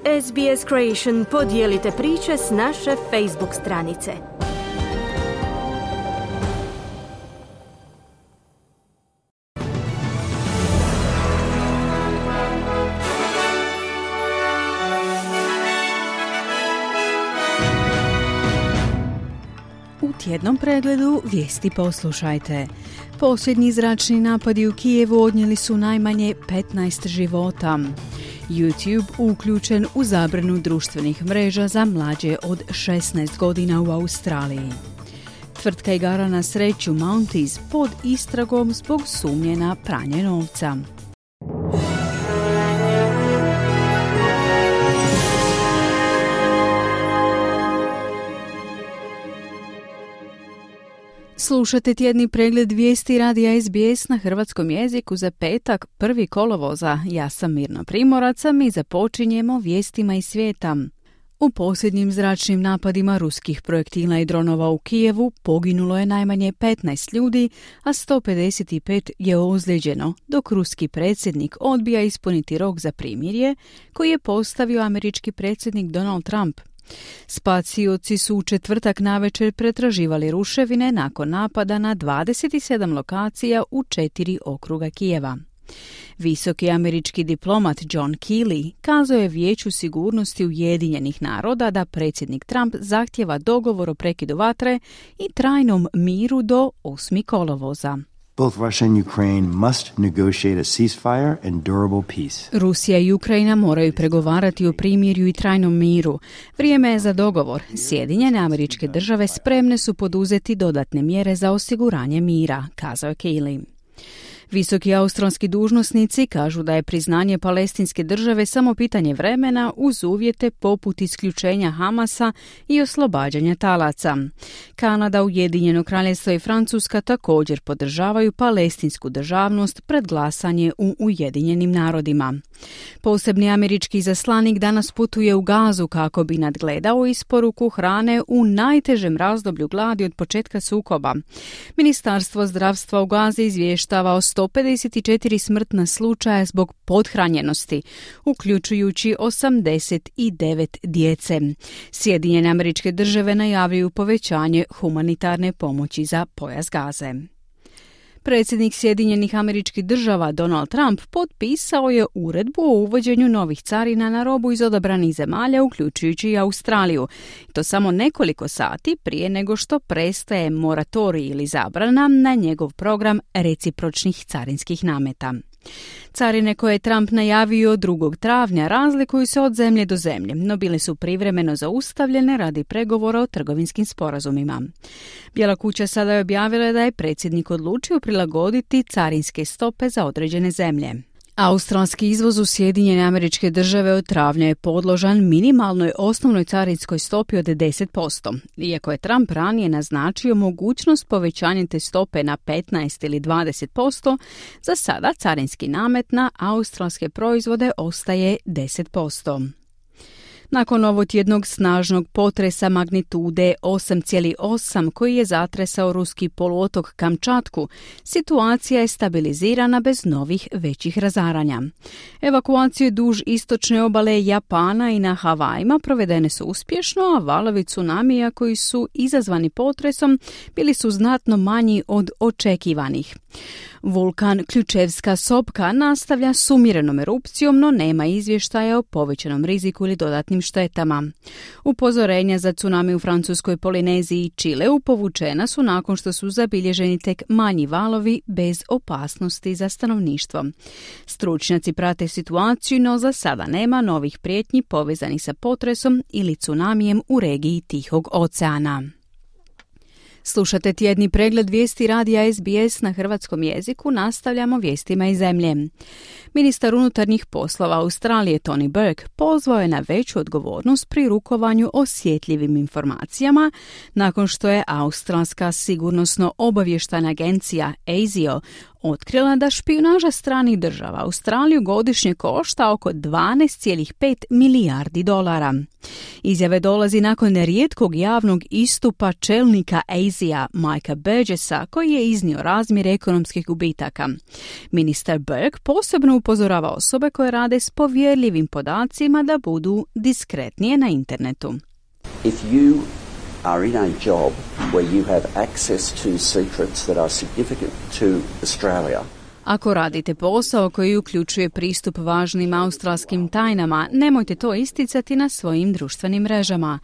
SBS Creation podijelite priče s naše Facebook stranice. U tjednom pregledu vijesti poslušajte. Posljednji zračni napadi u Kijevu odnijeli su najmanje 15 života. YouTube uključen u zabranu društvenih mreža za mlađe od 16 godina u Australiji. Tvrtka igara na sreću Mounties pod istragom zbog sumnje na pranje novca. Slušate tjedni pregled vijesti radija SBS na hrvatskom jeziku za petak 1. kolovoza. Ja sam Mirna Primorac, a mi započinjemo vijestima iz svijeta. U posljednjim zračnim napadima ruskih projektila i dronova u Kijevu poginulo je najmanje 15 ljudi, a 155 je ozlijeđeno, dok ruski predsjednik odbija ispuniti rok za primirje koji je postavio američki predsjednik Donald Trump. Spasioci su u četvrtak navečer pretraživali ruševine nakon napada na 27 lokacija u 4 okruga Kijeva. Visoki američki diplomat John Kelly kazao je Vijeću sigurnosti Ujedinjenih naroda da predsjednik Trump zahtjeva dogovor o prekidu vatre i trajnom miru do 8. kolovoza. Both Russia and Ukraine must negotiate a ceasefire and durable peace. Rusija i Ukrajina moraju pregovarati o primirju i trajnom miru. Vrijeme je za dogovor. Sjedinjene Američke Države spremne su poduzeti dodatne mjere za osiguranje mira, kazao je Kelly. Visoki australski dužnosnici kažu da je priznanje palestinske države samo pitanje vremena uz uvjete poput isključenja Hamasa i oslobađanja talaca. Kanada, Ujedinjeno kraljevstvo i Francuska također podržavaju palestinsku državnost pred glasanje u Ujedinjenim narodima. Posebni američki izaslanik danas putuje u Gazu kako bi nadgledao isporuku hrane u najtežem razdoblju gladi od početka sukoba. Ministarstvo zdravstva u Gazi izvještava o 154 smrtna slučaja zbog pothranjenosti, uključujući 89 djece. Sjedinjene Američke Države najavljuju povećanje humanitarne pomoći za pojas Gaze. Predsjednik Sjedinjenih Američkih Država Donald Trump potpisao je uredbu o uvođenju novih carina na robu iz odabranih zemalja, uključujući i Australiju. To samo nekoliko sati prije nego što prestaje moratorij ili zabrana na njegov program recipročnih carinskih nameta. Carine koje je Trump najavio 2. travnja razlikuju se od zemlje do zemlje, no bile su privremeno zaustavljene radi pregovora o trgovinskim sporazumima. Bijela kuća sada je objavila da je predsjednik odlučio prilagoditi carinske stope za određene zemlje. Australski izvoz u Sjedinjene Američke Države od travnja je podložan minimalnoj osnovnoj carinskoj stopi od 10%. Iako je Trump ranije naznačio mogućnost povećanja te stope na 15 ili 20%, za sada carinski namet na australske proizvode ostaje 10%. Nakon ovotjednog snažnog potresa magnitude 8,8 koji je zatresao ruski poluotok Kamčatku, situacija je stabilizirana bez novih većih razaranja. Evakuacije duž istočne obale Japana i na Havajima provedene su uspješno, a valovi tsunamija koji su izazvani potresom bili su znatno manji od očekivanih. Vulkan Ključevska sopka nastavlja s umjerenom erupcijom, no nema izvještaja o povećanom riziku ili dodatnim štetama. Upozorenja za tsunami u Francuskoj Polineziji i Čileu povučena su nakon što su zabilježeni tek manji valovi bez opasnosti za stanovništvo. Stručnjaci prate situaciju, no za sada nema novih prijetnji povezanih sa potresom ili tsunamijem u regiji Tihog oceana. Slušate tjedni pregled vijesti radija SBS na hrvatskom jeziku, nastavljamo vijestima iz zemlje. Ministar unutarnjih poslova Australije Tony Burke pozvao je na veću odgovornost pri rukovanju osjetljivim informacijama nakon što je Australska sigurnosno-obavještajna agencija ASIO otkrila da špijunaža stranih država Australiju godišnje košta oko 12,5 milijardi dolara. Izjave dolazi nakon nerijetkog javnog istupa čelnika ASIA Mikea Burgessa koji je iznio razmjere ekonomskih gubitaka. Ministar Burke posebno upozorava osobe koje rade s povjerljivim podacima da budu diskretnije na internetu. If you are in a job where you have access to secrets that are significant to Australia. Ako radite posao koji uključuje pristup važnim australskim tajnama, nemojte to isticati na svojim društvenim mrežama.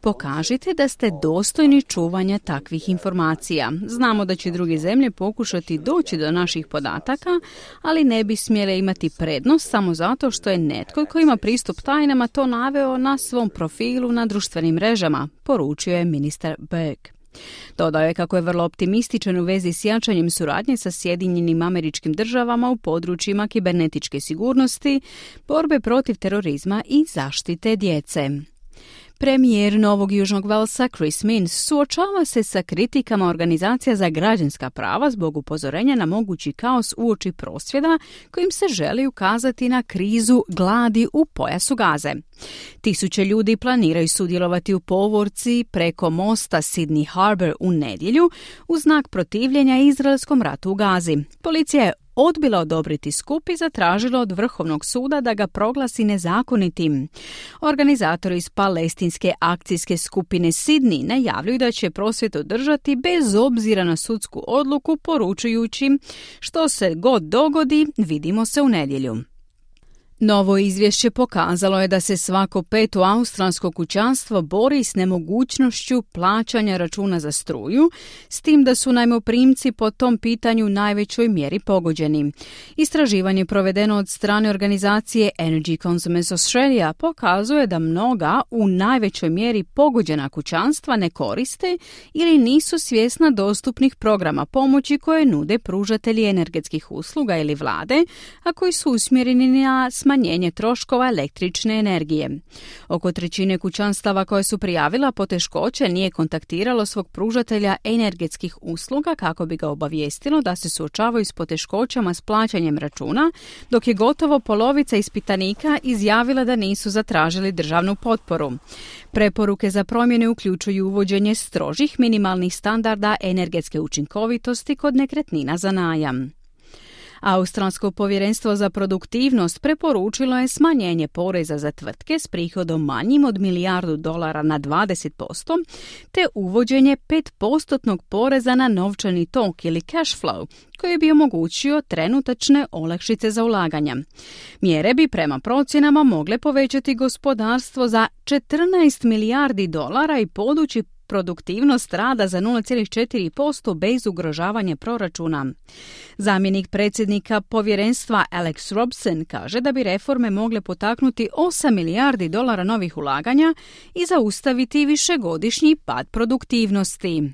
Pokažite da ste dostojni čuvanja takvih informacija. Znamo da će druge zemlje pokušati doći do naših podataka, ali ne bi smjele imati prednost samo zato što je netko koji ima pristup tajnama to naveo na svom profilu na društvenim mrežama, poručio je ministar Burke. Dodao je kako je vrlo optimističan u vezi s jačanjem suradnje sa Sjedinjenim Američkim Državama u područjima kibernetičke sigurnosti, borbe protiv terorizma i zaštite djece. Premijer Novog Južnog Velsa Chris Minns suočava se sa kritikama organizacija za građanska prava zbog upozorenja na mogući kaos uoči prosvjeda kojim se želi ukazati na krizu gladi u pojasu Gaze. Tisuće ljudi planiraju sudjelovati u povorci preko mosta Sydney Harbour u nedjelju u znak protivljenja izraelskom ratu u Gazi. Policija je odbila odobriti skup i zatražila od Vrhovnog suda da ga proglasi nezakonitim. Organizatori iz palestinske akcijske skupine Sydney najavljuju da će prosvjed održati bez obzira na sudsku odluku, poručujući što se god dogodi, vidimo se u nedjelju. Novo izvješće pokazalo je da se svako peto australsko kućanstvo bori s nemogućnošću plaćanja računa za struju, s tim da su najmoprimci po tom pitanju u najvećoj mjeri pogođeni. Istraživanje provedeno od strane organizacije Energy Consumers Australia pokazuje da mnoga u najvećoj mjeri pogođena kućanstva ne koriste ili nisu svjesna dostupnih programa pomoći koje nude pružatelji energetskih usluga ili vlade, a koji su usmjereni na smanjenje troškova električne energije. Oko trećine kućanstava koje su prijavila poteškoće nije kontaktiralo svog pružatelja energetskih usluga kako bi ga obavijestilo da se suočavaju s poteškoćama s plaćanjem računa, dok je gotovo polovica ispitanika izjavila da nisu zatražili državnu potporu. Preporuke za promjene uključuju uvođenje strožih minimalnih standarda energetske učinkovitosti kod nekretnina za najam. Australsko povjerenstvo za produktivnost preporučilo je smanjenje poreza za tvrtke s prihodom manjim od $1 milijardu na 20%, te uvođenje 5% poreza na novčani tok ili cash flow, koji bi omogućio trenutačne olakšice za ulaganja. Mjere bi prema procjenama mogle povećati gospodarstvo za $14 milijardi i podići produktivnost rada za 0,4% bez ugrožavanja proračuna. Zamjenik predsjednika povjerenstva Alex Robson kaže da bi reforme mogle potaknuti $8 milijardi novih ulaganja i zaustaviti višegodišnji pad produktivnosti.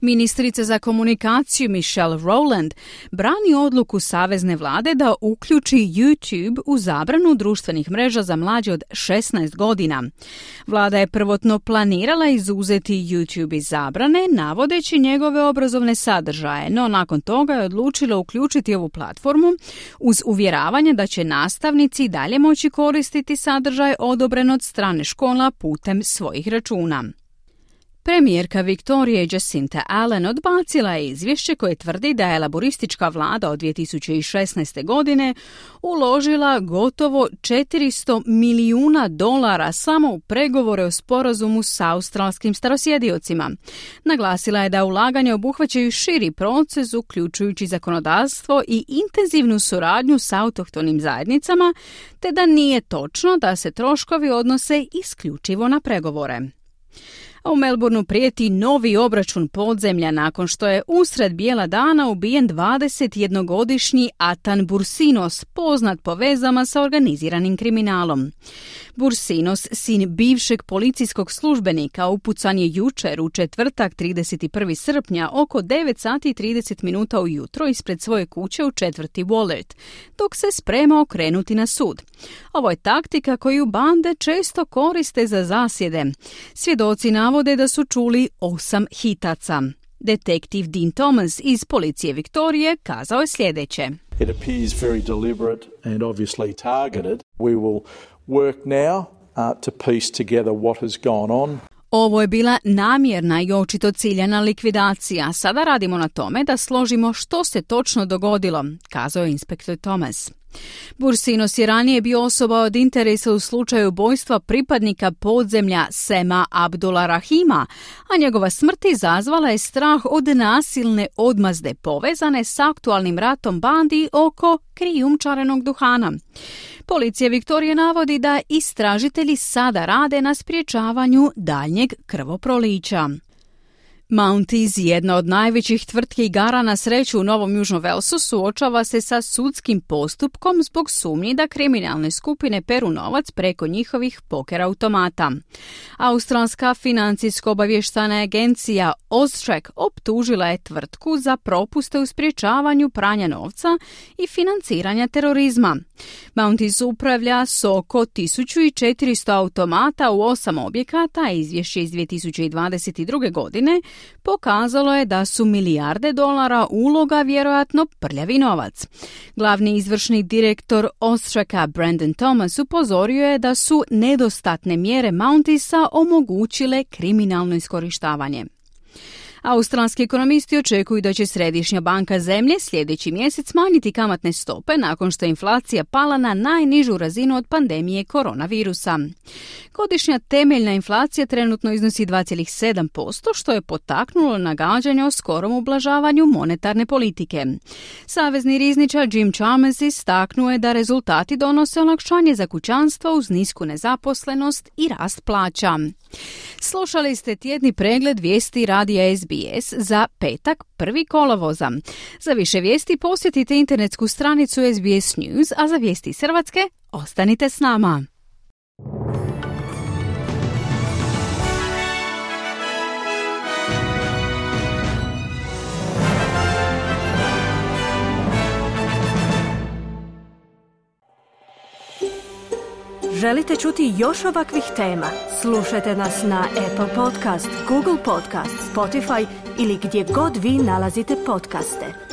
Ministrica za komunikaciju Michelle Rowland brani odluku savezne vlade da uključi YouTube u zabranu društvenih mreža za mlađe od 16 godina. Vlada je prvotno planirala izuzeti YouTube iz zabrane, navodeći njegove obrazovne sadržaje, no nakon toga je odlučila uključiti ovu platformu uz uvjeravanje da će nastavnici dalje moći koristiti sadržaj odobren od strane škola putem svojih računa. Premijerka Viktorije Jacinta Allen odbacila je izvješće koje tvrdi da je laboristička vlada od 2016. godine uložila gotovo $400 milijuna samo u pregovore o sporazumu s australskim starosjediocima. Naglasila je da ulaganja obuhvaćaju širi proces, uključujući zakonodavstvo i intenzivnu suradnju s autohtonim zajednicama, te da nije točno da se troškovi odnose isključivo na pregovore. A u Melbourneu prijeti novi obračun podzemlja nakon što je usred bijela dana ubijen 21-godišnji Atan Bursinos, poznat po vezama sa organiziranim kriminalom. Bursinos, sin bivšeg policijskog službenika, upucan je jučer u četvrtak 31. srpnja oko 9:30 ujutro ispred svoje kuće u četvrti Wollert, dok se sprema okrenuti na sud. Ovo je taktika koju bande često koriste za zasjede. Svjedoci navode da su čuli 8 hitaca. Detektiv Dean Thomas iz policije Viktorije kazao je sljedeće. It appears very deliberate and obviously targeted. We will work now to piece together what has gone on. Ovo je bila namjerna i očito ciljana likvidacija. Sada radimo na tome da složimo što se točno dogodilo, kazao je inspektor Thomas. Bursinos je ranije bio osoba od interesa u slučaju ubojstva pripadnika podzemlja Sema Abdula Rahima, a njegova smrt izazvala je strah od nasilne odmazde povezane s aktualnim ratom bandi oko krijumčarenog duhana. Policija Viktorije navodi da istražitelji sada rade na sprječavanju daljnjeg krvoprolića. Mounties, jedna od najvećih tvrtki igara na sreću u Novom Južnom Walesu, suočava se sa sudskim postupkom zbog sumnji da kriminalne skupine peru novac preko njihovih poker automata. Australska financijsko-obavještajna agencija Austrac optužila je tvrtku za propuste u sprječavanju pranja novca i financiranja terorizma. Mounties upravlja s oko 1400 automata u 8 objekata, a izvješće iz 2022. godine pokazalo je da su milijarde dolara uloga vjerojatno prljavi novac. Glavni izvršni direktor Austraca Brandon Thomas upozorio je da su nedostatne mjere Mountiesa omogućile kriminalno iskorištavanje. Australski ekonomisti očekuju da će Središnja banka zemlje sljedeći mjesec smanjiti kamatne stope nakon što je inflacija pala na najnižu razinu od pandemije koronavirusa. Godišnja temeljna inflacija trenutno iznosi 2,7%, što je potaknulo nagađanje o skorom ublažavanju monetarne politike. Savezni rizničar Jim Chalmers istaknuo je da rezultati donose olakšanje za kućanstva uz nisku nezaposlenost i rast plaća. Slušali ste tjedni pregled vijesti radija SBS za petak 1. kolovoza. Za više vijesti posjetite internetsku stranicu SBS News, a za vijesti iz Hrvatske ostanite s nama. Želite čuti još ovakvih tema? Slušajte nas na Apple Podcast, Google Podcast, Spotify ili gdje god vi nalazite podcaste.